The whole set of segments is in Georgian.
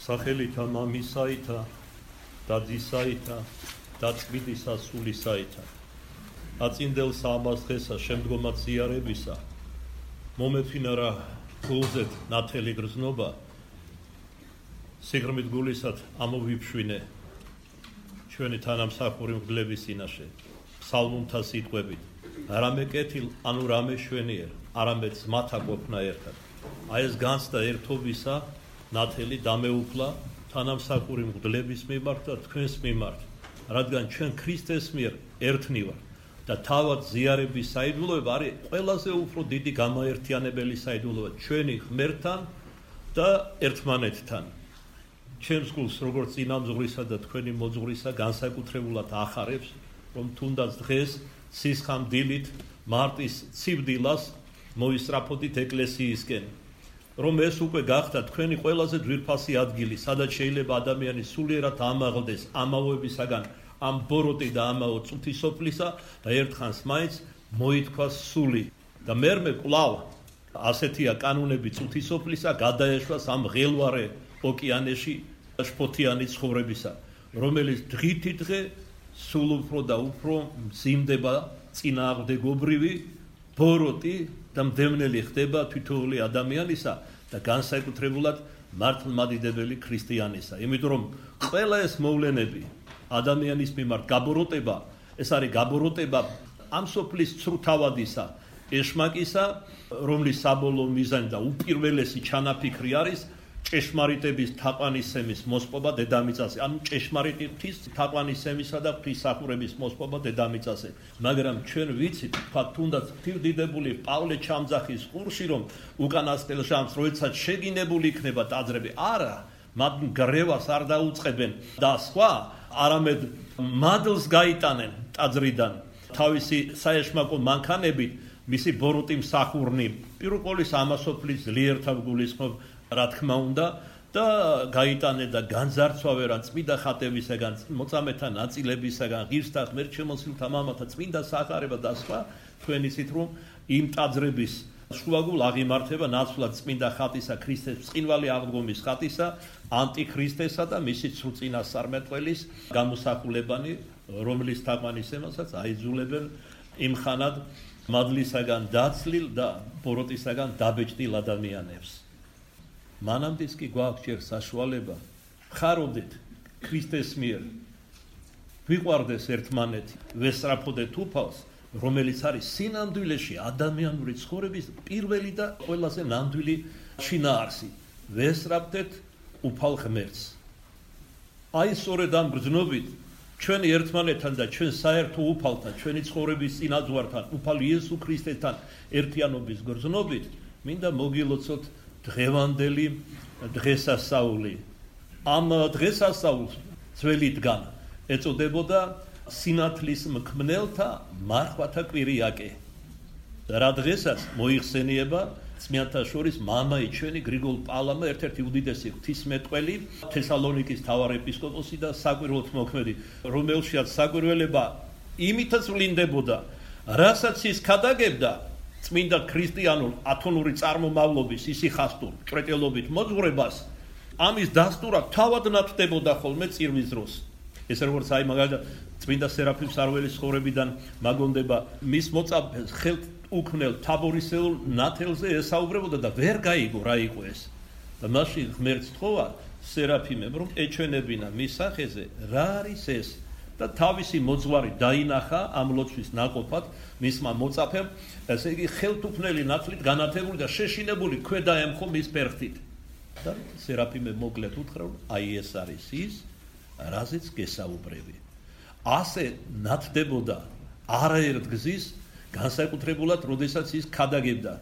სახელითა მამისაითა და ძისაითა და წმინდისა სულისაითა. აწინდელს ამას დღესა შემდგომად ზიარებისა მომეფინარა გულზეთ ნათელი გრძნობა სიღრმით გულისად ამოვიფშვინე ჩვენი თანამსახური მგლების წინაშე ფსალმუნთა სიტყვებით რამე კეთილ ანუ რამე შვენიერ არამედ ზმათა ყოფნა ერთად აი ეს განცდა ერთობისა ნათელი დამეუფლა თანამსახური მგლების მიმართ და თქვენს მიმართ რადგან ჩვენ ქრისტეს მიერ ერთნი ვართ და თავად ზიარების საიდუმლოება არის ყველაზე უფრო დიდი გამაერთიანებელი საიდუმლოება ჩვენი ღმერთთან და ერთმანეთთან. ჩემს გულს როგორც წინამძღვრისა და თქვენი მოძღვრისა განსაკუთრებულად ახარებს, რომ თუნდაც დღეს სისხამდილით მარტის ცივდილას მოისწრაფოდით ეკლესიისკენ, რომ ეს უკვე გახდა თქვენი ყველაზე ძვირფასი ადგილი, სადაც შეიძლება ადამიანი სულიერად ამაღლდეს ამაოებისაგან ამ ბოროტი და ამაო წუთისოფლისა და ერთხანს მაინც მოითქვას სული და მერმე კვლავ ასეთია კანონები წუთისოფლისა გადაეშვას ამ ღელვარე ოკეანეში შფოთიანი ცხოვრებისა, რომელიც დღითი დღე სულ უფრო და უფრო მძიმდება წინააღმდეგობრივი ბოროტი და მდევნელი ხდება თითოეული ადამიანისა და განსაკუთრებულად მართლმადიდებელი ქრისტიანისა. იმიტომ რომ ყველა ეს მოვლენები ადამიანის მიმართ გაბოროტება, ეს არის გაბოროტება ამ სოფლის ცრუთავადისა, ეშმაკისა, რომლის საბოლოო მიზანი და უპირველესი ჩანაფიქრი არის ჭეშმარიტების თაყვანისცემის მოსპობა დედამიწაზე, ანუ ჭეშმარიტი ღვთის თაყვანისცემისა და ღვთისმსახურების მოსპობა დედამიწაზე. მაგრამ ჩვენ ვიცით, თქვათ თუნდაც ღვთისმდიდებული პავლე ჩამძახის ყურში, რომ უკანასკნელ ჟამს როდესაც შეგინებული იქნება ტაძრები, არა, მათ გრევას არ დაუწყებენ და სხვა არამედ მადლს გაიტანენ ტაძრიდან თავისი საეშმაკო მანქანებით მისი ბოროტი მსახურნი პირველ ყოვლისა ამასოფლის ძლიერთან გულისხმობ რა თქმა უნდა და გაიტანენ და განძარცვავენ რა წმინდა ხატებისაგან მოწამეთა ნაწილებისაგან ღირსთა ღმერთშემოსილთა მამათა წმინდა სახარება და სხვა თქვენ იცით რომ იმ ტაძრების შუაგულ აღიმართება ნაცვლად წმინდა ხატისა ქრისტეს ბრწყინვალე აღდგომის ხატისა ანტიქრისტესა და მისი სრულწინასწარმეტყველის გამოსახულებანი რომლის თაყვანისცემასაც აიძულებენ იმხანად მადლისაგან დაცლილ და ბოროტისაგან დაბეჭდილ ადამიანებს. მანამდეც კი გვაქვს ჯერ საშუალება ხარობდეთ ქრისტეს მიერ ვიყვარდეს ერთმანეთი ვესწრაფოდეთ უფალს რომელიც არის სინამდვილეში ადამიანური ცხოვრების პირველი და ყველაზე ნამდვილი შინაარსი ვესწრაფდეთ უფალ ღმერთს. აი სწორედ ამ გრძნობით ჩვენი ერთმანეთთან და ჩვენ საერთო უფალთან ჩვენი ცხოვრების წინაზღვართან უფალ იესო ქრისტესთან ერთიანობის გრძნობით მინდა მოგილოცოთ დღევანდელი დღესასწაული. ამ დღესასწაულს ძველიდან ეწოდებოდა სინათლის მქმნელთა მარხვათა კვირიაკე. რა დღესაც მოიხსენიება წმინდანთა შორის მამაი ჩვენი გრიგოლ პალამა ერთ-ერთი უდიდესი ღვთისმეტყველი თესალონიკის მთავარეპისკოპოსი და საკვირველთ მოქმედი რომელშიაც საკვირველება იმითაც ვლინდებოდა რასაც ის ქადაგებდა წმინდა ქრისტიანულ ათონური წარმომავლობის ისიხასტურ ჭრეტელობით მოძღვრებას ამის დასტურად თავად ნათდებოდა ხოლმე წირვის დროს. ეს როგორც აი მაგალითად წმინდა სერაფიმ სარველის ცხოვრებიდან მაგონდება მის მოწაფეს ხელთ უქმნელ თაბორისეულ ნათელზე ესაუბრებოდა და ვერ გაიგო რა იყო ეს. და მაშინ ღმერთს თხოვა სერაფიმემ რომ ეჩვენებინა მის სახეზე რა არის ეს და თავისი მოძღვარი დაინახა ამ ლოცვის ნაყოფად მისმა მოწაფემ, ესე იგი ხელთუქმნელი ნათლით განათებული და შეშინებული ქვედა ემხო მის ფერხთით. და სერაფიმე მოკლედ უთხრა რომ აი ეს არის ის რაზეც გესაუბრები. ასე ნათდებოდა არაერთ გზის განსაკუთრებულად როდესაც ის ქადაგებდა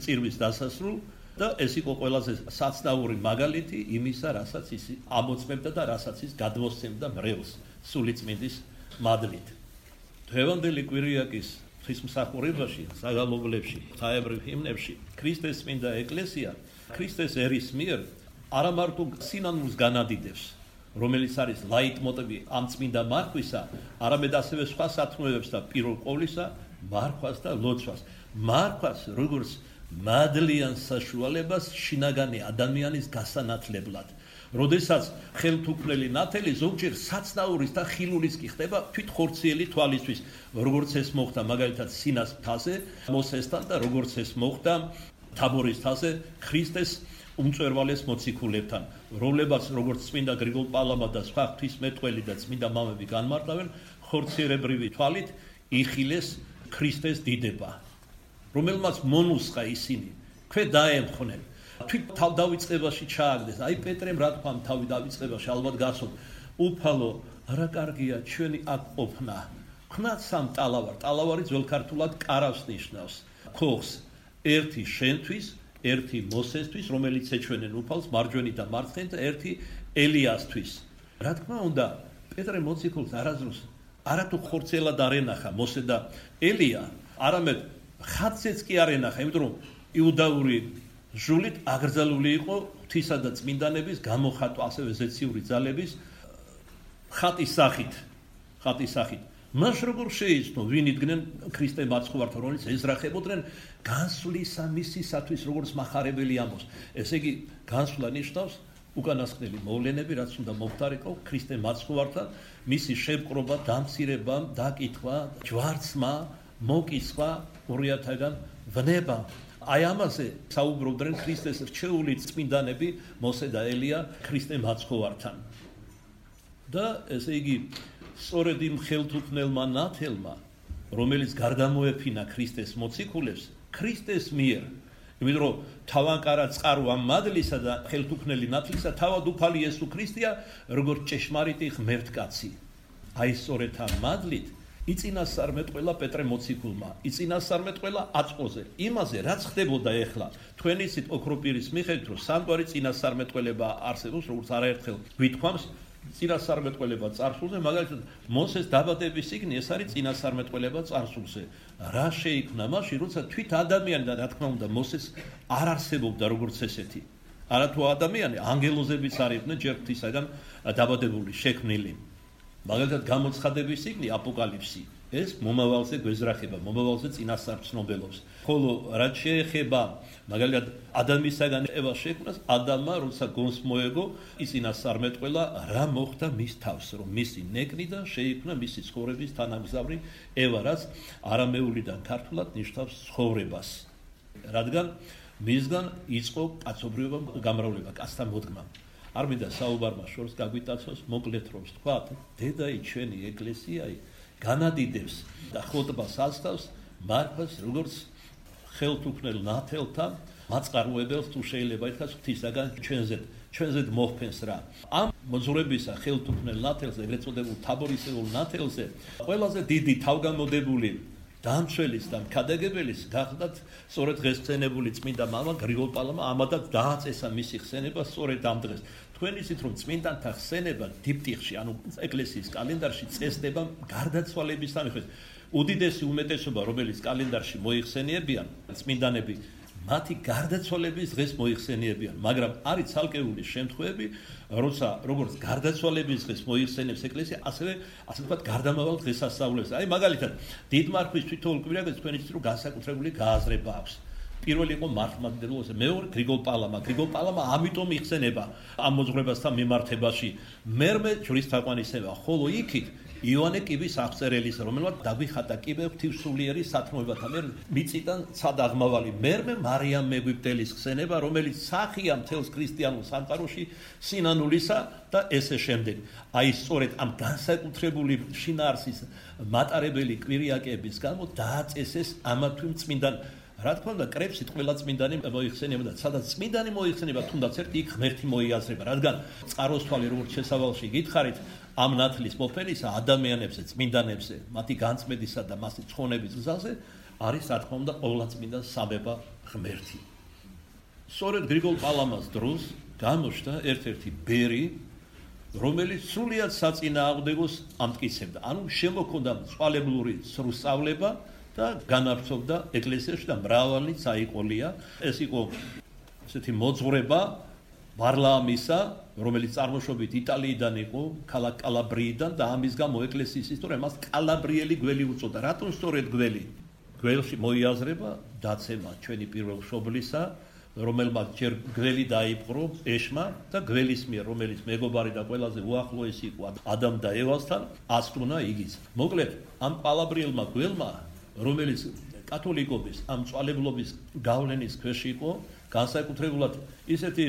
წირვის დასასრულ და ეს იყო ყველაზე საცნაური მაგალითი იმისა რასაც ის ამოწმებდა და რასაც ის გადმოსცემდა მრევლს სულიწმინდის მადლით. დღევანდელი კვირიაკის ღვთისმსახურებაში, საგალობლებში, ღვთაებრივ ჰიმნებში ქრისტეს წმინდა ეკლესია ქრისტეს ერის მიერ არა მარტო სინანულს განადიდებს, რომელიც არის ლაიტმოტივი ამ წმინდა მარხვისა, არამედ ასევე სხვა სათნოებებს და პირველ ყოვლისა მარხვას და ლოცვას. მარხვას როგორც მადლიან საშუალებას შინაგანი ადამიანის გასანათლებლად, როდესაც ხელთუქმნელი ნათელი ზოგჯერ საცნაურის და ხილულის კი ხდება თვით ხორციელი თვალისთვის, როგორც ეს მოხდა მაგალითად სინას მთაზე მოსესთან და როგორც ეს მოხდა თაბორის მთაზე ქრისტეს უმწვერვალეს მოციქულებთან, რომლებაც როგორც წმინდა გრიგოლ პალამა და სხვა ღვთისმეტყველი და წმინდა მამები განმარტავენ, ხორციელებრივი თვალით იხილეს ქრისტეს დიდება, რომელმაც მონუსხა ისინი, ქვე დაემხნენ. თვით თავდავიწყებაში ჩააგდეს, აი პეტრემ რა თქვა თავი დავიწყებაში, ალბათ გასულ, უფალო, რა კარგია ჩვენი აქ ყოფნა. ქნათ სამ ტალავარ, ტალავარი ძველ ქართულად კარავს ნიშნავს, ქოხს, ერთი შენთვის, ერთი მოსესთვის, რომელიც ეჩვენენ უფალს მარჯვენი და მარცხენი და ერთი ელიასთვის. რა თქმა უნდა, პეტრე მოციქულს არასდროს არათუ ხორცელად არ ენახა მოსე და ელია, არამედ ხატზეც კი არ ენახა, იმიტომ რომ იუდაური ჟულით აგრძელული იყო ღვთისა და წმინდანების გამოხატვა, ასევე ზეციური ძალების ხატის სახით. მას როგორ შეიცნო, ვინ იდგნენ ქრისტე მაცხოვართან, რომელიც ეძრახებოდნენ განსვლისა მისისათვის, როგორც მახარებელი ამბობს. ესე იგი, განსვლა ნიშნავს უკანასკნელი მოვლენები, რაც უნდა მომხდარიყო ქრისტე მაცხოვართან, მისი შემკრობა, დამცირება, დაკითხვა, ჯვარცმა, მოკისხვა, ორიათაგან ვნება. აი ამაზე საუბრობდნენ ქრისტეს რჩეული წმინდანები მოსე და ელია ქრისტე მაცხოვართან. და ესე იგი, სწორედ იმ ხელთუქმნელმა ნათელმა, რომელიც გარდამოეფინა ქრისტეს მოციქულებს, ქრისტეს მიერ, იმიტომ რომ თავანკარა წყარო ამ მადლისა და ხელთუქმნელი ნათლისა თავად უფალი იესო ქრისტეა, როგორც ჭეშმარიტი ღმერთკაცი. აი სწორედ ამ მადლით იწინასწარმეტყველა პეტრე მოციქულმა, იწინასწარმეტყველა აწყოზე, იმაზე რაც ხდებოდა ეხლა, თქვენი ისეთ ოქროპირის მიხედვით, რომ სამგვარი წინასწარმეტყველება არსებობს, როგორც არაერთხელ გვითქვამს, წინასწარმეტყველება წარსულზე, მაგალითად, მოსეს დაბადების წიგნი, ეს არის წინასწარმეტყველება წარსულზე. რა შეიქმნა მაშინ, როცა თვით ადამიანი და რა თქმა უნდა, მოსეს არ არსებობდა როგორც ესეთი. არათუ ადამიანი, ანგელოზებიც არ იყვნენ ჯერ ღვთისაგან დაბადებული, შექმნილი. მაგალითად, გამოცხადების წიგნი, აპოკალიფსი, ეს მომავალზე გვეზრახება, მომავალზე წინასწარმცნობელობს. ხოლო რაც შეეხება მაგალითად ადამიანისაგან ევას შექმნას, ადამმა როცა გონს მოეგო, იწინასწარმეტყველა რა მოხდა მის თავს, რომ მისი ნეკნიდან შეიქმნა მისი ცხოვრების თანამგზავრი ევა, რაც არამეულიდან ქართულად ნიშნავს ცხოვრებას. რადგან მისგან იწყო კაცობრიობა გამრავლება, კაცთა მოდგმა. არ მინდა საუბარმა შორს გაგვიტაცოს, მოკლედ რომ ვთქვათ, დედაი ჩვენი ეკლესიაი განადიდებს და ხოტბას ასწავს მართლაც როგორც ხელთუქმნელ ნათელთან მაწყაროებელს თუ შეიძლება ითქვას ღვთისაგან ჩვენზე მოხფენს რა. ამ მოძღვრებისა ხელთუქმნელ ნათელზე, ეგრეთ წოდებულ თაბორისეულ ნათელზე, ყველაზე დიდი თავგამოდებული დამცველის და მქადაგებელის გახდათ სწორედ დღესწენებული წმინდა მამა გრიგოლ პალამა, ამადაც დააწესა მისი ხსენება სწორედ ამ დღეს. თქვენ იცით რომ წმინდანთა ხსენება დიპტიხში, ანუ ეკლესიის კალენდარში წესდება გარდაცვალების სამეფოს. უდიდესი უმეტესობა, რომელიც კალენდარში მოიხსენიებიან, წმინდანები, მათი გარდაცვალების დღეს მოიხსენიებიან, მაგრამ არის ცალკეული შემთხვევები, როცა როგორც გარდაცვალების დღეს მოიხსენიებს ეკლესია, ასევე ასე ვთქვათ, გარდამავალ დღესასწაულებს. აი მაგალითად, დიდმარხვის თვითონ კვირაგებს თქვენ იცით რომ განსაკუთრებული გააზრება აქვს. პირველი იყო მართლმადიდებლობაზე, მეორე გრიგოლ პალამა ამიტომ იხსენება ამ მოძღვრებასთან მიმართებაში. მერმე ჯვრის თაყვანისება, ხოლო იქით იოანე კიბის აღწერელის, რომელმაც დაგვიხატა კიბე ღვთისმსულიერი სათნოებათა მიერ მიწიდან ცად აღმავალი. მერმე მარიამ მეგვიპტელის ხსენება, რომელიც სახია მთელს ქრისტიანულ სამყაროში სინანულისა და ესე შემდეგ. აი სწორედ ამ განსაკუთრებული შინაარსის მატარებელი კვირიაკების გამო დააწესეს ამათვე წმინდან. რა თქმა უნდა, კრებსით ყველა წმინდანი მოიხსენიება და სადაც წმინდანი მოიხსენიება, თუნდაც ერთი იქ ღმერთი მოიაზრება, რადგან წყაროსთვალი როგორც შესავალში გითხარით, ამ ნათლის მოფენისა ადამიანებზე, წმინდანებზე, მათი განწმენდისა და მასი ცხონების გზაზე არის რა თქმა უნდა ყოვლადწმინდა სამება ღმერთი. სწორედ გრიგოლ პალამას დროს გამოჩნდა ერთ-ერთი ბერი, რომელიც სრულიად საწინააღმდეგოს ამტკიცებდა. ანუ შემოქონდა წყალებლური სრუსწავლება და განავრცობდა ეკლესიაში და მრავალი წაიყოლია. ეს იყო ესეთი მოძღვრება ვარლაამისა, რომელიც წარმოშობით იტალიიდან იყო, ქალაქ კალაბრიიდან და ამის გამო ეკლესიის ისტორია მას კალაბრიელი გველი უწოდა. რატომ სწორედ გველი? გველში მოიაზრება დაცემა ჩვენი პირველ მშობლისა, რომელმაც ჯერ გველი დაიპყრო ეშმა და გველის მიერ, რომელიც მეგობარი და ყველაზე უახლოესი იყო ადამ და ევასთან, ასტუნა იგიც. მოკლედ, ამ ყალაბრიელმა გველმა, რომელიც კათოლიკობის, ამ წვალებლობის გავლენის ქვეშ იყო, განსაკუთრებულად ისეთი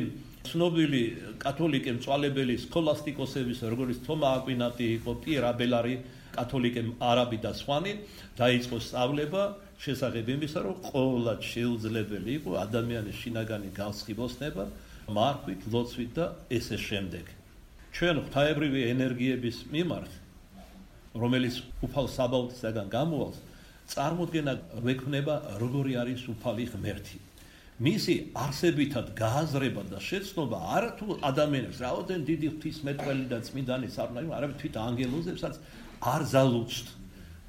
ცნობილი კათოლიკე მწვალებელი სქოლასტიკოსების, როგორც თომა აკვინატი იყო, პიერ აბელარი, კათოლიკე არაბი და სხვანი, დაიწყო სწავლება შესახებ იმისა, რომ ყოველად შეუძლებელი იყო ადამიანის შინაგანი განსხვავება მარხვით, ლოცვით და ესე შემდეგ. ჩვენ ღვთაებრივი ენერგიების მიმართ, რომელიც უფალ საბაუთისაგან გამოვალს, წარმოდგენა გვექნება როგორი არის უფალი ღმერთი. მისი არსებითად გააზრება და შეცნობა არა თუ ადამიანებს რაოდენ დიდი ღვთისმეტყველი და წმინდანის არ უნდა, არამედ თვით ანგელოზებსაც არ ზალუცთ.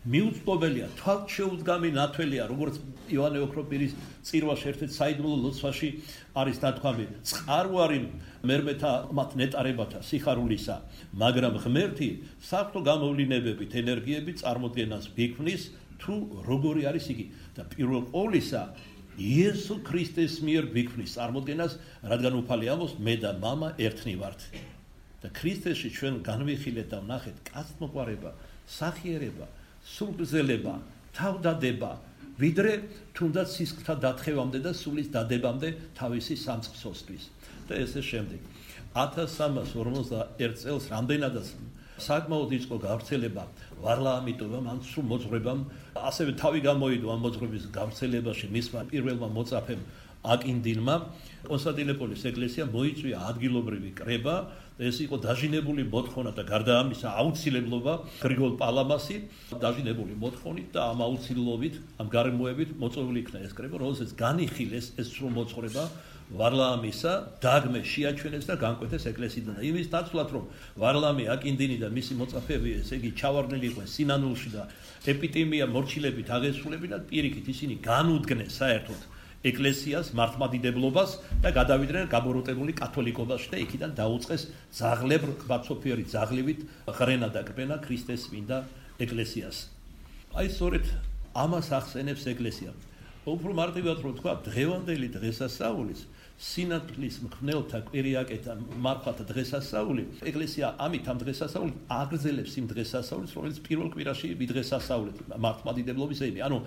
მიუწვდომელია, თვალთ შეუდგამი ნათველია, როგორც იოანე ოქროპირის წირვაში ერთ-ერთ საიდუმლო ლოცვაში არის ნათქვამი, წყარვარი მერმეთა მათ ნეტარებათა სიხარულისა, მაგრამ ღმერთი საღვთო გამოვლინებებით, ენერგიებით წარმოდგენას გვიქმნის, თუ როგორი არის იგი და პირველ ყოვლისა იესო ქრისტეს მიერ გვიქმნის წარმოდგენას, რადგან უფალი ამბობს, მე და მამა ერთნი ვართ. და ქრისტეში ჩვენ განვიხილეთ და ვნახეთ კაცთმოყვარება, სახიერება, სულგრძელება, თავდადება, ვიდრე თუნდაც სისხლთა დათხევამდე და სულის დადებამდე თავისი სამწყსოსთვის. და ესე შემდეგ. 1341 წელს რამდენადაც საკმაოდ იწყო გავრცელება ვარლაამიტოვამ, ან სულ მოძღვრებამ, ასევე თავი გამოიდო ამ მოძღვრების გავრცელებაში მისმა პირველმა მოწაფემ აკინდინმა, კონსტანტინოპოლის ეკლესია მოიწვია ადგილობრივი კრება, ეს იყო დაჟინებული მოთხოვნა და გარდა ამისა აუცილებლობა გრიგოლ პალამასი დაჟინებული მოთხოვნით და ამ აუცილებლობით, ამ გარემოებით მოწვეული იქნა ეს კრება, რომელსაც განიხილეს ეს სრულ მოძღვრება ვარლაამისა დაგმე შეაჩვენეს და განკვეთეს ეკლესიიდან. იმის ნაცვლად, რომ ვარლაამი აკინდინი და მისი მოწაფეები, ესე იგი ჩავარდნილი იყვნენ სინანულში და ეპიდემია მორჩილებით აღესრულებინათ, პირიქით ისინი განუდგნენ საერთოდ ეკლესიას, მართლმადიდებლობას და გადავიდნენ გაბოროტებული კათოლიკობაში და იქიდან დაუწყეს ძაღლებრ ყბაცოფიერი ძაღლივით ღრენა და კბენა ქრისტეს წმინდა ეკლესიას. აი სწორედ ამას ახსენებს ეკლესია. უფრო მარტივად რომ თქვა, დღევანდელი დღესასწაულის სინათლის მქნელთა კვირიაკეთა მარხვათა დღესასწაული, ეკლესია ამით ამ დღესასწაულით აგრძელებს იმ დღესასწაულს, რომელიც პირველ კვირაში ვიდღესასწაულეთ მართლმადიდებლობის ეიმი. ანუ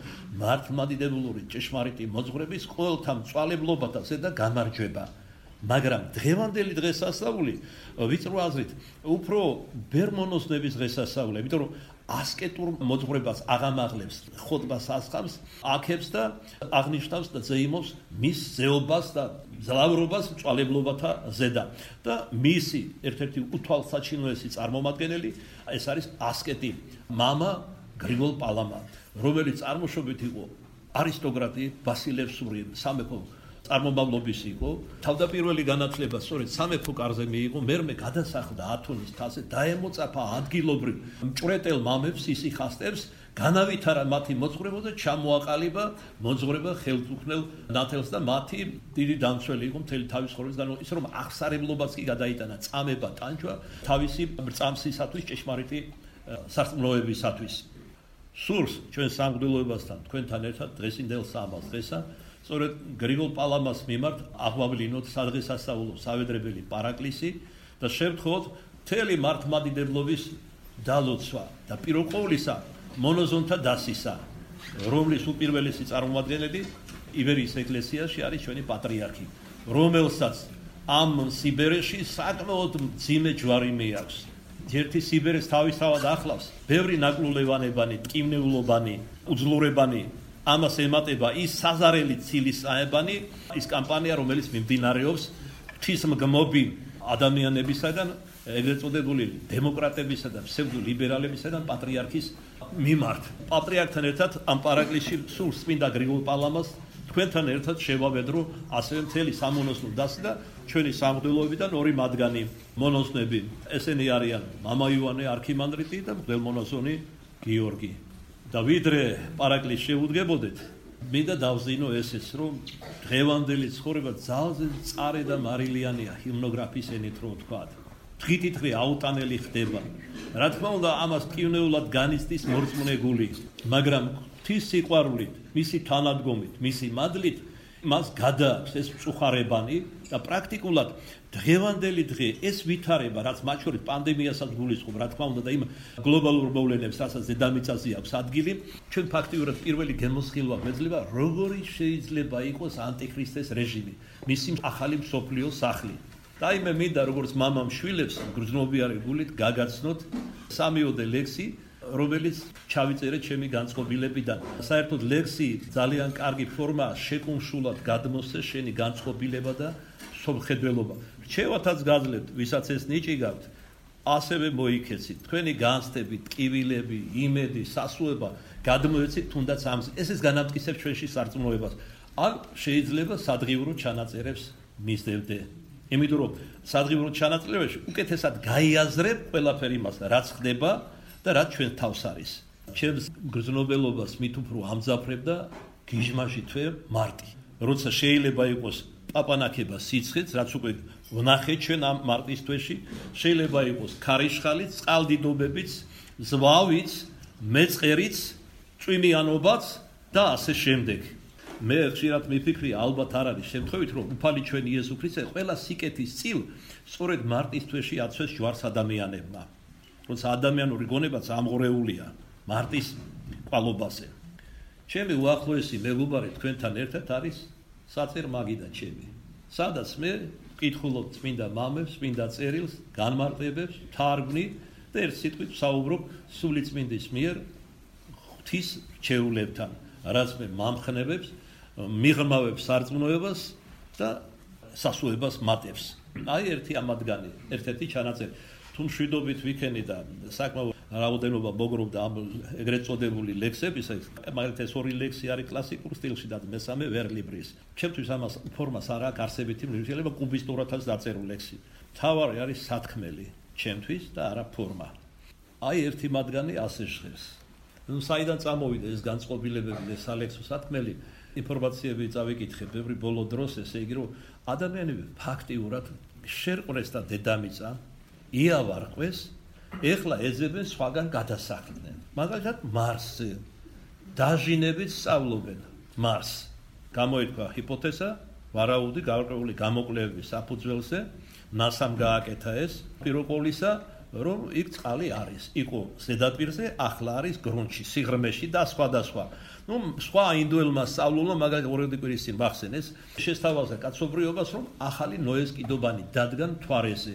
მართლმადიდებლური ჭეშმარიტი მოძღვრების ყოველთა მწვალებლობათა ზედა გამარჯვება. მაგრამ დღევანდელი დღესასწაული ვიწრო აზრით უფრო ბერმონოსნების დღესასწაულია, იმიტომ რომ ასკეტურ მოძღვრებას აღამაღლებს, ხოტბას ასხამს, აქებს და აღნიშნავს და ზეიმობს მის ზეობას და ძლავრობას მწვალებლობათა ზედა. და მისი ერთ-ერთი უთვალსაჩინოესი წარმომადგენელი ეს არის ასკეტი მამა გრიგოლ პალამა, რომელიც წარმოშობით იყო არისტოკრატი, ბასილევსური სამეფო წარმომავლობის იყო, თავდაპირველი განათლება სწორედ სამეფო კარზე მიიღო, მერმე გადასახლდა ათონის თასზე, დაემოწაფა ადგილობრივ მჭვრეტელ მამებს, ისიხასტებს, განავითარა მათი მოძღვრება და ჩამოაყალიბა მოძღვრება ხელთუქმნელ ნათელს და მათი დიდი დამცველი იყო მთელი თავის ცხოვრების განმავლობაში, ისე რომ აღსარებლობაც კი გადაიტანა, წამება, ტანჯვა თავისი წამსისათვის, ჭეშმარიტი სარწმუნოებისათვის. სურს ჩვენ სამღვდელოებასთან, თქვენთან ერთად დღესინდელ სამალს დღესა სწორედ გრიგოლ პალამას მიმართ აღვავლინოთ სადღესასწაულო სავედრებელი პარაკლისი და შევთხოვოთ მთელი მართლმადიდებლობის დალოცვა და პირველ ყოვლისა მონოზონთა დასისა, რომლის უპირველესი წარმომადგენელი იბერიის ეკლესიაში არის ჩვენი პატრიარქი, რომელსაც ამ სიბერეში საკმაოდ მძიმე ჯვარი მიაქვს. ერთი სიბერეს თავისთავად ახლავს, ბევრი ნაკლულევანებანი, ტკივნეულობანი, უძლურებანი, ამას ემატება ის საზარელი ცილის საებანი, ის კამპანია, რომელიც მიმდინარეობს ღვთისმგმობი ადამიანებისაგან, ეგრეთ წოდებული დემოკრატებისა და ფსევდოლიბერალებისაგან პატრიარქის მიმართ. პატრიარქთან ერთად ამ პარაკლისში სულ წმინდა გრიგოლ პალამას თქვენთან ერთად შევავედრო ასევე მთელი სამონოსნო დასი და ჩვენი სამღვდელოებიდან ორი მათგანი მონოსნები. ესენი არიან მამა იოანე არქიმანდრიტი და მღვდელმონაზონი გიორგი. და ვიდრე პარაკლისს შეუდგებოდეთ, მინდა დავზინო ესეც, რომ დღევანდელი ცხოვრება ძალზე მწარე და მარილიანია ჰიმნოგრაფის ენით რო ვთქვა. დღითიდღე აუტანელი ხდება. რა თქმა უნდა, ამას ტკივნეულად განიცდის მორწმუნე გული, მაგრამ ღვთის სიყვარულით, მისი თანადგომით, მისი მადლით მას გადააქვს ეს მწუხარებანი და პრაქტიკულად დღევანდელი დღე ეს ვითარება, რაც მათ შორის პანდემიასაც გულისხმობ, რა თქმა უნდა და იმ გლობალურ მოვლენებს, რასაც დედამიწაზე აქვს ადგილი, ჩვენ ფაქტიურად პირველი გემოსხილვა გვეძლება, როგორი შეიძლება იყოს ანტიქრისტეს რეჟიმი, მისი ახალი მსოფლიო სახლი. და იმე მინდა როგორც მამამ შვილებს გრძნობიარე გულით გაგაცნოთ 3-ოდე ლექსი, რომელიც ჩავიწერე ჩემი განწყობილებიდან. საერთოდ ლექსი ძალიან კარგი ფორმაა, შეკუმშულად გადმოსცე შენი განწყობილება და სომხედველობა. რჩევათაც გაძლევთ, ვისაც ეს ნიჭი გაქვთ, ასევე მოიქეცით. თქვენი განცდები, ტკივილები, იმედი, სასუება გადმოეცით თუნდაც ამზე. ეს განამტკიცებს ჩვენში სარწმუნოებას. ან შეიძლება სადღიურო ჩანაწერებს მისდევდე. იმიტომ რომ სადღიურო ჩანაწერებში უკეთესად გაიაზრებ ყველაფერი იმას, რაც ხდება და რაც ჩვენ თავს არის. ჩემს გრძნობელობას მით უფრო ამძაფრებ და გიჟმაში თვე მარტი. როცა შეიძლება იყოს პაპანაკება სიცხეც, რაც უკვე ვნახეთ ჩვენ ამ მარტის თვეში, შეიძლება იყოს ქარიშხალიც, წყალდიდობებიც, ზვავიც, მეწყერიც, წვიმიანობაც და ასე შემდეგ. მე ხშირად მიფიქრია, ალბათ არ არის შემთხვევით, რომ უფალი ჩვენ იესო ქრისტე ყველა სიკეთის წილ სწორედ მარტის თვეში აცვეს ჯვარს ადამიანებმა. როცა ადამიანური გონებაც ამღრეულია მარტის ყვალობაზე. ჩემი უახლოესი მეგობარი თქვენთან ერთად არის საწერ მაგიდა ჩემი. სადაც მე ვკითხულობ წმინდა მამებს, წმინდა წერილს, განმარტებებს, თარგმნი და ერთ სიტყვით ვსაუბრობ სულიწმინდის მიერ ღვთის რჩეულებთან, რაც მე მამხნევებს, მიღრმავებს სარწმუნოებას და სასუებას მატებს. აი ერთი ამათგანი, ერთ-ერთი ჩანაწერი. თუ მშვიდობით ვიქენი და საკმაოდ რაოდენობა მოგროვდა ამ ეგრეთ წოდებული ლექსების, მაგალითად ეს 2 ლექსი არის კლასიკურ სტილში და მესამე ვერლიბრის. ჩემთვის ამას ფორმას არ აქვს არსებითი მნიშვნელობა, კუბისტურათაც დაწერულ ლექსი. მთავარი არის სათქმელი ჩემთვის და არა ფორმა. აი ერთი მათგანი ასე ჟღერს. საიდან წამოვიდა ეს განწყობილებები და სალექსო სათქმელი, ინფორმაციები წავიკითხე ბევრი ბოლო დროს, ესე იგი რომ ადამიანები ფაქტიურად შერყვრეს და დედამიწა იავარყვეს, ეხლა ეძებენ სხვაგან გადასახლდნენ. მაგალითად მარსზე დაჟინებით სწავლობენ მარსს. გამოითქვა ჰიპოთეზა, ვარაუდი გარკვეული გამოკვლევების საფუძველზე, ნასამ გააკეთა ეს პირველ ყოვლისა, რომ იქ წყალი არის. იყო ზედაპირზე, ახლა არის გრუნტში, სიღრმეში და სხვადასხვა. სხვა ინდუელმა სწავლულმა მაგალითად ორედი კვირის წინ მახსენეს, შესთავაზა კაცობრიობას, რომ ახალი ნოეს კიდობანი დადგან მთვარეზე.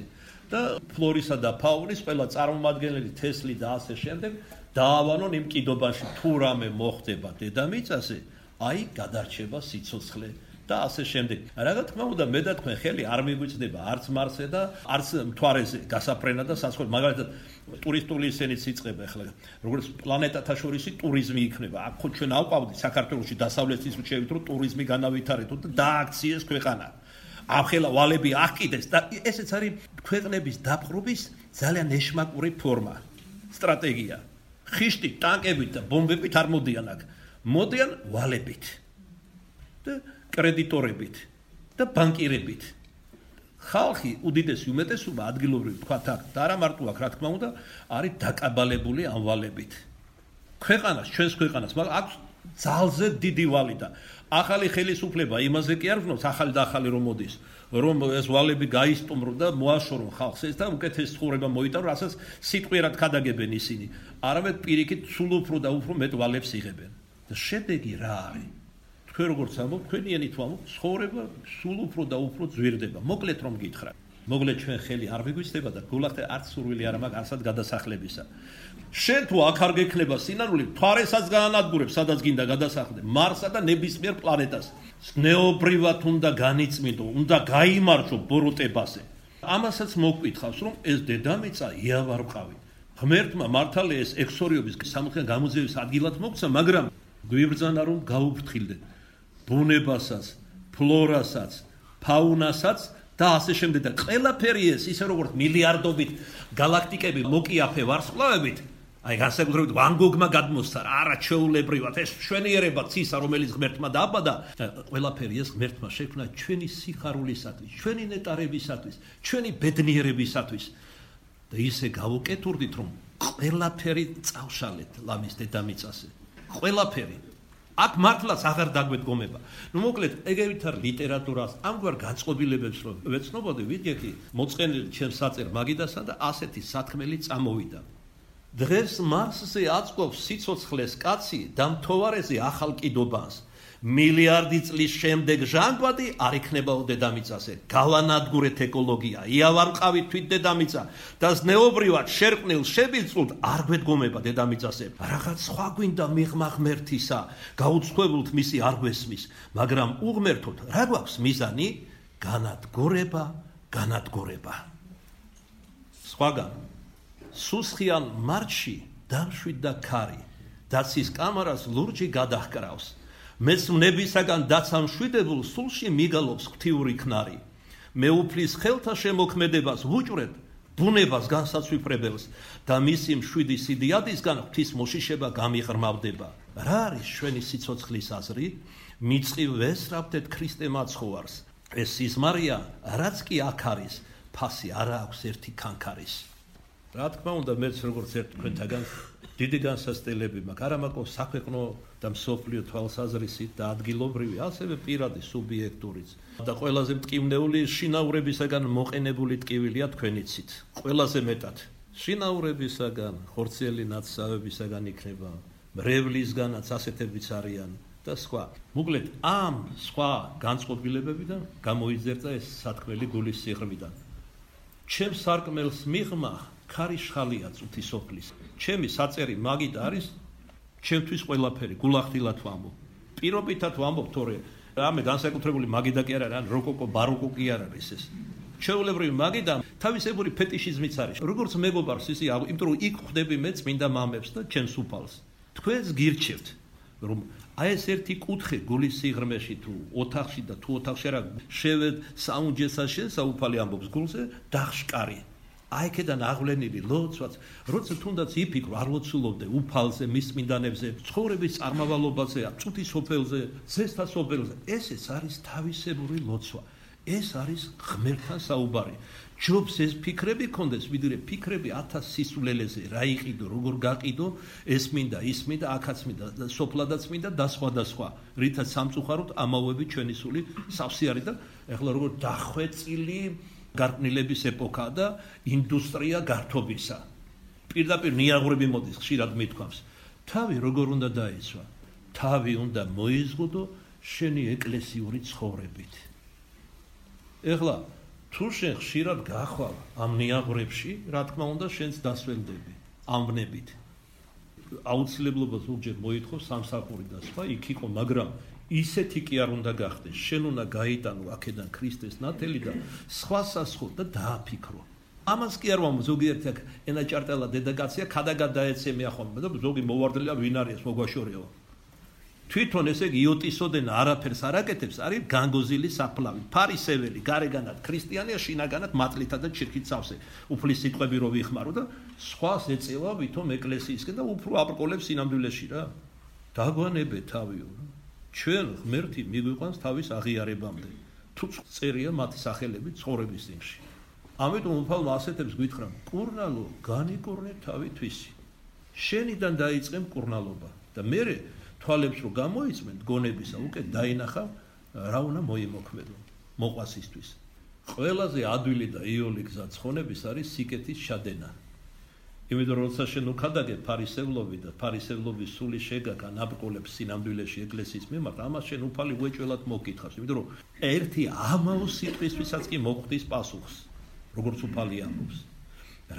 და ფლორისა და ფაუნის ყველა წარმომადგენელი თესლი და ასე შემდეგ დაავანონ იმ კიდობაში, თუ რამე მოხდება დედამიწაზე, აი გადარჩება სიცოცხლე და ასე შემდეგ. რა თქმა უნდა, მე და თქვენ ხელი არ მიგვიწდება არც მარსზე და არც მთვარეზე გასაფრენა და სასწავლო. მაგალითად, ტურისტული ისენიც იწყება ახლა, როგორც პლანეტათა შორისი ტურიზმი იქნება. აქ ხო ჩვენ ავყავდით საქართველოში დასავლეთის რჩევით, რომ ტურიზმი განავითარეთო და დააქციეს ქვეყანა. ახლა ვალები აღკიდეს და ესეც არის ქვეყნების დაპყრობის ძალიან ეშმაკური ფორმა, სტრატეგია. ხიშტი, ტანკებით და ბომბებით არ მოდიან აქ. მოდიან ვალებით და კრედიტორებით და ბანკირებით. ხალხი უდიდესი უმეტესობა ადგილობრივი თქვათ აქ და არა მარტო აქ, რა თქმა უნდა, არის დაკაბალებული ამ ვალებით. ქვეყანას, ჩვენს ქვეყანას, მაგრამ აქვს ძალზე დიდი ვალი და ახალი ხელისუფლება იმაზე კი არ ვნობს, ახალი და ახალი რომ მოდის, რომ ეს ვალები გაისტუმრონ და მოაშორონ ხალხს ეს და უკეთეს ცხოვრება მოიტანონ, რასაც სიტყვიერად ქადაგებენ ისინი. არამედ პირიქით სულ უფრო და უფრო მეტ ვალებს იღებენ. და შედეგი რა არის? თქვენ როგორც ამბობ, თქვენიანით ვამბობ, ცხოვრება სულ უფრო და უფრო ძვირდება. მოკლედ რომ გითხრა. მოკლედ ჩვენ ხელი არ მიგვიცდება და გულახდე არც სურვილი არ მაქვს არსად გადასახლებისა. შენ თუ აქ არ გექნება სინანული, მთვარესაც გაანადგურებ, სადაც გინდა გადასახლდე, მარსსა და ნებისმიერ პლანეტას. ზნეობრივად უნდა განიწმინდო, უნდა გაიმარჯვო ბოროტებაზე. ამასაც მოგკითხავს, რომ ეს დედამიწა იავარყავი. ღმერთმა მართალია ეს ექსორიობის სამხიან გამოძიების ადგილად მოგცა, მაგრამ გვიბრძანა რომ გაუფრთხილდეთ ბუნებასაც, ფლორასაც, ფაუნასაც და ასე შემდეგ და ყველაფერი ეს ისე როგორც მილიარდობით galaktikები მოკიაფე ვარსკვლავებით, აი განსაკუთრებით ვან გოგმა გადმოსცა არა ჩვეულებრივად ეს მშვენიერება ცისა რომელიც ღმერთმა დააბადა და ყველაფერი ეს ღმერთმა შექმნა ჩვენი სიხარულისათვის, ჩვენი ნეტარებისათვის, ჩვენი ბედნიერებისათვის და ისე გავუკეთურდით რომ ყველაფერი წავშალეთ ლამის დედამიწაზე. ყველაფერი აქ მართლაც აღარ დაგვედგომება. მოკლედ, ეგრეთ არ ლიტერატურას, ამგვარ განწყობილებებს რომ ვეცნობოდი, ვიდექი მოწყენილი ჩემს საწერ მაგიდასა და ასეთი სათქმელი წამოვიდა. დღეს მარსზე აწყობს სიცოცხლეს კაცი და მთვარეზე ახალ კიდობანს. მილიარდი წლის შემდეგ ჟანგბადი არ იქნებაო დედამიწაზე. გავანადგურეთ ეკოლოგია, იავარყავით თვით დედამიწა და ზნეობრივად შერყნილ შებილწულთ არ გვედგომება დედამიწაზე. რაღაც სხვა გვინდა მიღმა ღმერთისა, გაუცხოებულთ მისი არ გვესმის, მაგრამ უღმერთოთ რა გვაქვს მიზანი? განადგურება. სხვაგან სუსხიან მარჩი დამშვიდ და ქარი, დაცის კამარას ლურჯი გადაჰკრავს. მეცნებისაგან დაცამშვიდებულ სულში მიგალობს ღვთიური ქნარი. მეუფლის ხელთა შემოქმედებას ვუჭვრეთ ბუნებას განსაცვიფრებელს და მისი მშვიდი სიდიადისგან ღვთის მოშიშება გამიღრმავდება. რა არის ჩვენი სიცოცხლის აზრი? მიწყივ ვესწრაფდეთ ქრისტე მაცხოვარს. ეს სიზმარია, რაც კი აქ არის, ფასი არა აქვს ერთი ქანქარის. რა თქმა უნდა, მეც როგორც ერთ თქვენთაგან დიდი განსასწრებელი მაქვს, არა მარტო საქვეყნო და მსოფლიო თვალსაზრისით და ადგილობრივი, ასევე პირადი სუბიექტურიც. და ყველაზე მტკივნეული შინაურებისაგან მოყენებული ტკივილია თქვენიცით. ყველაზე მეტად შინაურებისაგან, ხორციელი ნაცსავებისაგან იქნება, მრევლისგანაც ასეთებიც არიან და სხვა. მოკლედ, ამ სხვა განწყობილებებიდან გამოიძერწა ეს სათქმელი გულის სიღრმიდან. ჩემს სარკმელს მიღმა ქარი შხალია წუთი სოფლის. ჩემი საწერი მაგით არის, ჩემთვის ყველაფერი, გულახდილად ვამბობ. პირობითად ვამბობ, თორე რამე განსაკუთრებული მაგიდა კი არ არის, ან როკოკო, ბაროკო კი არ არის ეს. ჩვეულებრივი მაგიდა თავისებური ფეტიშიზმიც არის. როგორც მეგობარს ისე, იმიტომ რომ იქ ხვდები მე წმინდა მამებს და ჩემს უფალს. თქვენს გირჩევთ, რომ აი ეს ერთი კუთხე გულის სიღრმეში თუ ოთახში და თუ ოთახში არა შევედ საუნჯესა შესაუფალი ამბობს გულზე დახშკარი. აი ქედან აღვლენილი ლოცვაც, როცა თუნდაც იფიქრო არ ლოცულობდე უფალზე, მის წმინდანებზე, ცხოვრების წარმავალობაზე, წუთის სოფელზე, ზესთა სოფელზე. ესეც არის თავისებური ლოცვა. ეს არის ღმერთთან საუბარი. ჯობს ეს ფიქრები კონდეს, ვიდრე ფიქრები 1000 სისულელეზე, რა იყიდო, როგორ გაყიდო, ეს მინდა, ის მინდა, აქაც მინდა, სოფლადაც მინდა და სხვა და სხვა. რითაც სამწუხაროდ ამავები ჩვენი სული სავსე არის და ეხლა როგორ დახვეწილი გარყვნილების ეპოქა და ინდუსტრია გართობისა. პირდაპირ ნიაღვრები მოდის, ხშირად მithქვამს. თავი როგორ უნდა დაიცვა? თავი უნდა მოიზღუდო შენი ეკლესიური ცხოვრებით. ეხლა თუ შენ ხშირად გახვალ ამ ნიაღვრებში, რა თქმა უნდა, შენს დასველდები ამბნებით. აუცილებლობა ზოგჯერ მოითხოვს სამსახური და სხვა, იქ იყო, მაგრამ ისეთი კი არ უნდა გახდეს. შენ უნდა გაიტანო აქედან ქრისტეს ნათელი და სხვასასხო და დააფიქრო. ამას კი არ ვამბობ, ზოგიერთი აქ ენაჭარტელა დედაკაცია, ქადაგად დაეცემია ხოლმე და ზოგი მოვარდლია ვინ არის მოგვაშორეო. თვითონ ესე იგი იოტისოდენ არაფერს არ აკეთებს, არის განგოზილი საფლავი, ფარისეველი, გარეგანად ქრისტიანია, შინაგანად მატლითა და ჩირქით სავსე. უფლის სიტყვები რო ვიხმარო და სხვას ეწევა ვითომ ეკლესიისკენ და უფრო აბრკოლებს სინამდვილეში რა. დაგვანებე თავიო. ჩვენ ღმერთი მიგვიყვანს თავის აღიარებამდე. თუ წერია მათი სახელები ცხოვრების წინში. ამიტომ უფალმა ასეთებს გვითხრა, კურნალო, განიკურნე თავი თვისი. შენიდან დაიწყე მკურნალობა და მერე თვალებს რო გამოიწმენ გონებისა, უკვე დაინახა რა უნდა მოიმოქმედო მოყვასისთვის. ყველაზე ადვილი და იოლი გზა ცხონების არის სიკეთის შადენა. იმიტომ რომ როცა შენ უქადაგე ფარისევლობი და ფარისევლობის სული შეგაქა ნაბრკოლებს სინამდვილეში ეკლესიის მიმართ, ამას შენ უფალი უეჭველად მოგკითხავს. იმიტომ რომ ერთი ამაო სიტყვისთვისაც კი მოხვდის პასუხს, როგორც უფალი ამბობს.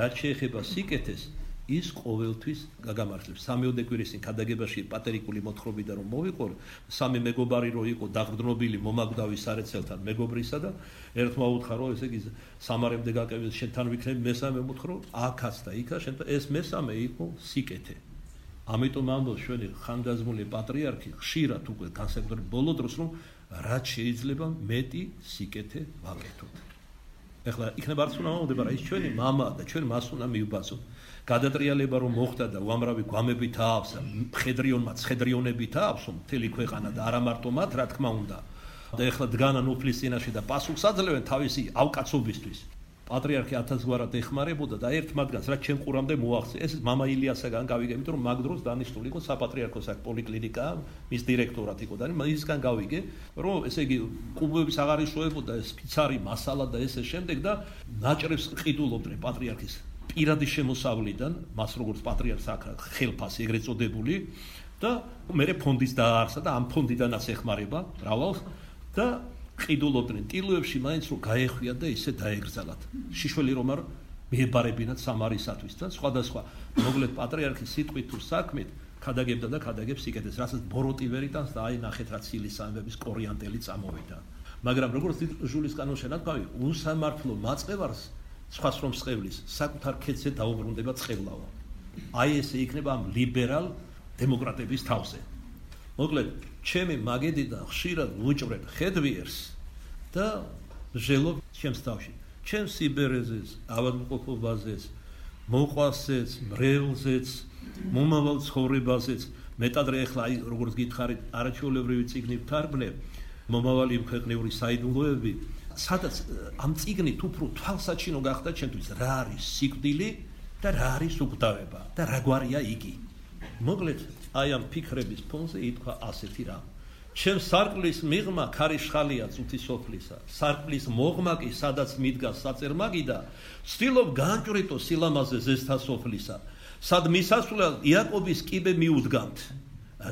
რაც შეეხება სიკეთეს, ის ყოველთვის გაგამართლებს. სამეოდე კვირის წინ ქადაგებაში პატერიკული მოთხრობიდან რომ მოვიყო, სამი მეგობარი რო იყო დაღდნობილი მომაკვდავი სარეცელთან მეგობრისა და ერთმა უთხრა რომ ესე იგი სამარემდე გაკეთებს შენთან ვიქნები, მესამე მოთხრა აქაც და იქა შენ ეს მესამე იყო სიკეთე. ამიტომ ამბობს ჩვენი ხანდაზმული პატრიარქი ხშირად უკვე განსაკუთრებით ბოლო დროს რომ რაც შეიძლება მეტი სიკეთე ვაკეთოთ. ეხლა იქნება არც უნდა მომდება რა ის ჩვენი მამა და ჩვენ მას უნდა მივბასოთ. გადატრიალება რომ მოხდა და უამრავი გვამებით აავსა, მხედრიონმა ცხედრიონებით აავსო მთელი ქვეყანა და არა მარტო მათ, რა თქმა უნდა. და ეხლა დგანან უფლის წინაშე და პასუხს აძლევენ თავისი ავკაცობისთვის. პატრიარქი 1000 გვარად ეხმარებოდა და ერთ მათგანს რაც ჩემ ყურამდე მოაღწია ეს მამა ილიასაგან გავიგე, იმიტომ რომ მაგ დროს დანიშნული იყო საპატრიარქოს აქ პოლიკლინიკა, მის დირექტორად იყო და მისგან გავიგე, რომ ესე იგი კუბოების აღარ იშოვებოდა ეს ფიცარი მასალა და ესე შემდეგ და ნაჭრებს ყიდულობდნენ პატრიარქის პირადი შემოსავლიდან, მას როგორც პატრიარქს აქ ხელფასი ეგრეთ წოდებული და მერე ფონდის დაარსა და ამ ფონდიდანაც ეხმარება რავალს და ყიდულობდნენ ტილოებში მაინც რომ გაეხვია და ისე დაეგრძალათ. შიშველი რომ არ მიებარებინათ სამარისათვის და სხვადასხვა მოკლედ პატრიარქის სიტყვით თუ საქმით ქადაგებდა და ქადაგებს სიკეთეს, რასაც ბოროტივერიტანს და აი ნახეთ რა ცილის ამბების კორიანტელი წამოვიდა. მაგრამ როგორც ჟულის კანონშენად გავი, უსამართლო მაწყევარს სხვას რომ სხევლის საკუთარ ქედზე დაუბრუნდება წყევლავა. აი ესე იქნება ამ ლიბერალ დემოკრატების თავზე. მოკლედ, ჩემი მაგედიდან ხშირად ვუჭვრეთ ხედვიერს და ჟელობ ჩემს თავში. ჩემს სიბერეზეს, ავადმყოფობაზეც, მოყვასეც, მრევლზეც, მომავალ ცხოვრებაზეც, მეტადრე ახლა აი როგორც გითხარით, არაჩვეულებრივი წიგნი ვთარგმნე, მომავალი ქვეყნიური საიდუმლოები, სადაც ამ წიგნით უფრო თვალსაჩინო გახდა ჩემთვის რა არის სიკვდილი და რა არის უკვდავება და რა გვარია იგი. მოკლედ, აი ამ ფიქრების ფონზე ითქვა ასეთი რამ. ჩემ სარკმლის მიღმა ქარიშხალია წუთი სოფლისა, სარკმლის მოღმა კი სადაც მიდგას საწერმაგი და ვცდილობ განჭვრიტო სილამაზე ზესთა სოფლისა, სად მისასვლელად იაკობის კიბე მიუდგამთ.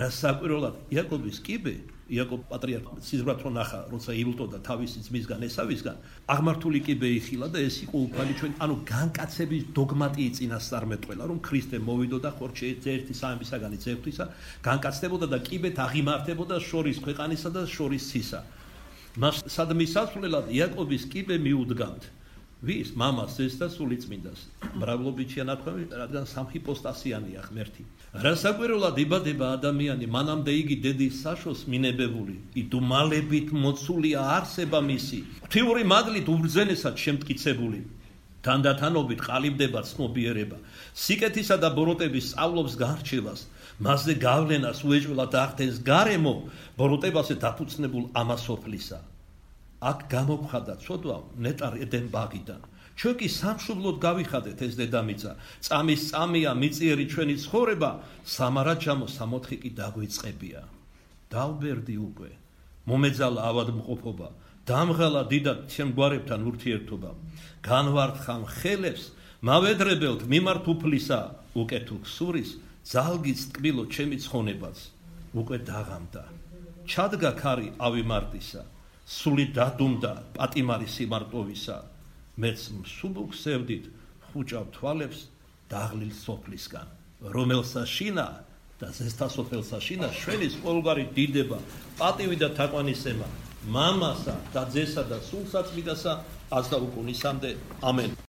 რა საკვირველად იაკობის კიბე, იაკობ პატრიარქი სიზღვრად რო ნახა, როცა იბლტოდა თავისი ძმისგან ესავისგან, აღმართული კიბე იხილა და ეს იყო უფალი ჩვენ, ანუ განკაცების დოგმატი წინასწარმეტყველა, რომ ქრისტე მოვიდოდა ხორჩე ერთი სამებისაგანი ძევთვისა, განკაცდებოდა და კიბეთ აღიმართებოდა შორის ქვეყანისა და შორის ცისა. მას სად მისასვლელად იაკობის კიბე მიუდგამთ. ვის? მამას, ეს და სულიწმინდას. მრავლობითია ნათქვამი, რადგან სამჰიპოსტასიანია ღმერთი. რა საკვირველად იბადება ადამიანი, მანამდე იგი დედის საშოს მინებებული, იდუმალებით მოცულია არსება მისი, ღვთიური მადლით უბრძენესად შემტკიცებული. თანდათანობით ყალიბდება ცნობიერება, სიკეთისა და ბოროტების სწავლობს გარჩევას, მასზე გავლენას უეჭველად ახდენს გარემო, ბოროტებაზე დაფუძნებულ ამასოფლისა. აქ გამოგხადა ცოდვა ნეტარ ედენ ბაღიდან. ჩვენ კი სამშობლოდ გავიხადეთ ეს დედამიწა, წამის წამია მიწიერი ჩვენი ცხოვრება, სამარაჯამო სამოთხი კი დაგვიწყებია. დავბერდი უკვე, მომეძალა ავადმყოფობა, დამღალა დიდად შემგვარებთან ურთიერთობა, განვართხა ხელებს, მავედრებელთ მიმართ უფლისა, უკეთილ ქსურის, ძალგიც ტკბილო ჩემი ცხონებაც, უკვე დაღამდა. ჩადგა ქარი ავიმარტისა, სული დადუმდა პატიმარი სიმარტოვისა, მეც მსუბუქ სევდით ხუჭავ თვალებს დაღლილ სოფლისგან, რომელსა შინა და ზესთა სოფელსა შინა შველის ყოველგვარი დიდება, პატივი და თაყვანისება, მამასა და ძესა და სულსაწმიდასა აზდა უკუნისამდე. ამენ.